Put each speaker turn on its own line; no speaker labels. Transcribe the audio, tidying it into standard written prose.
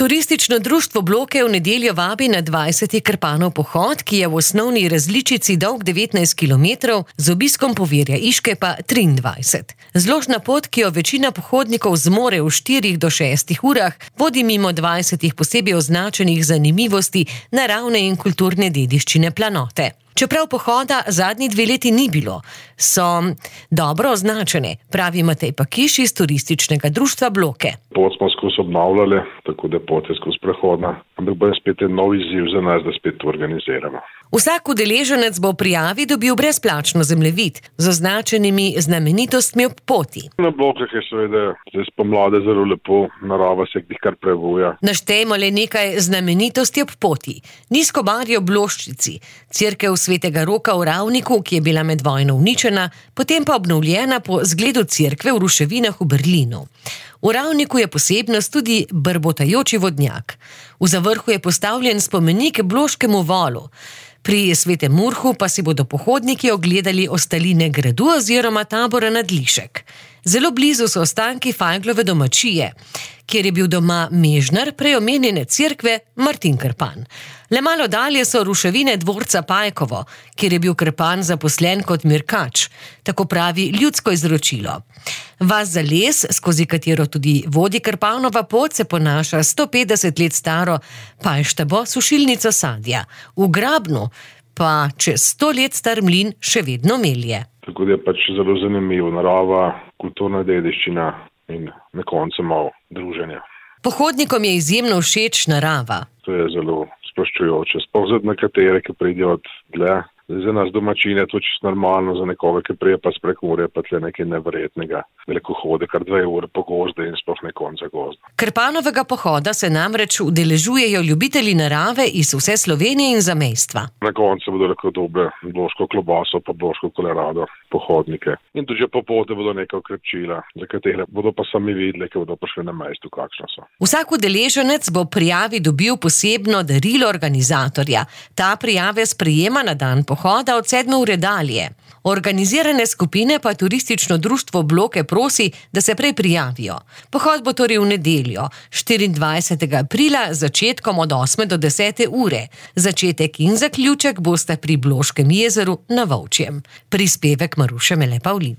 Turistično društvo Bloke v nedeljo vabi na 20. Krpanov pohod, ki je v osnovni različici dolg 19 km, z obiskom Povirja Iške pa 23. Zložna pot, ki jo večina pohodnikov zmore v 4 do 6 urah, vodi mimo 20 posebej označenih zanimivosti naravne in kulturne dediščine Planote. Čeprav pohoda zadnji 2 leti ni bilo, so dobro označene, pravi Matej Pakiš iz turističnega društva Bloke.
Pot smo skozi obnavljali, tako da pot je skozi prehodna, ampak bo spet en nov izziv za nas, da spet to organiziramo.
Vsak udeleženec bo v prijavi dobil brezplačno zemljevid z označenimi znamenitostmi ob poti.
Na Blokah je seveda zdaj spomladi zelo lepo, narava se kar prebuja.
Naštejmo le nekaj znamenitosti ob poti. Nizko barje v Bloščici, cerkev Svetega Roka v Ravniku, ki je bila med vojno uničena, potem pa obnovljena po zgledu cerkve v ruševinah v Berlinu. V Ravniku je posebnost tudi brbotajoči vodnjak. V zavrhu je postavljen spomenik Bloškemu volu. Pri Svetem Urhu pa si bodo pohodniki ogledali ostaline gradu oziroma tabora Nadlišek. Zelo blizu so ostanki Fajglove domačije, kjer je bil doma mežnar prej omenjene cerkve Martin Krpan. Le malo dalje so ruševine dvorca Pajkovo, kjer je bil Krpan zaposlen kot mirkač, tako pravi ljudsko izročilo. Vas za les, skozi katero tudi vodi Krpanova pot, se ponaša 150 let staro Pajštabo sušilnico sadja. V Grabnu pa čez 100 let star mlin še vedno melje.
Tako da je zelo zanimivo, narava, kulturna dediščina in na koncu malo druženja.
Pohodnikom je izjemno všeč narava.
To je zelo sproščujoče, sploh za nekatere, ki pridejo od dlje. Za nas domačine je to čisto normalno, za nekoga, ki prije pa s Prekmurja, pa tle nekaj neverjetnega. Veliko hode, kar 2 ure po gozde in sploh ne konca gozda.
Krpanovega pohoda se namreč udeležujejo ljubitelji narave iz vse Slovenije in zamejstva.
Na koncu bodo lahko dobre bloško klobaso pa bloško kolerado pohodnike. In tudi po poti bodo neka okrepčila, za katere bodo pa sami videli, ki bodo prišli na mestu, kakšno so.
Vsak udeleženec bo prijavi dobil posebno darilo organizatorja. Ta prijave sprejema na dan pohoda od 7 ure dalje. Organizirane skupine pa turistično društvo Bloke prosi, da se prej prijavijo. Pohod bo torej v nedeljo, 24. aprila, začetkom od 8 do 10 ure. Začetek in zaključek bosta pri Bloškem jezeru na Volčjem. Prispevek Maruše Mele Pavlin.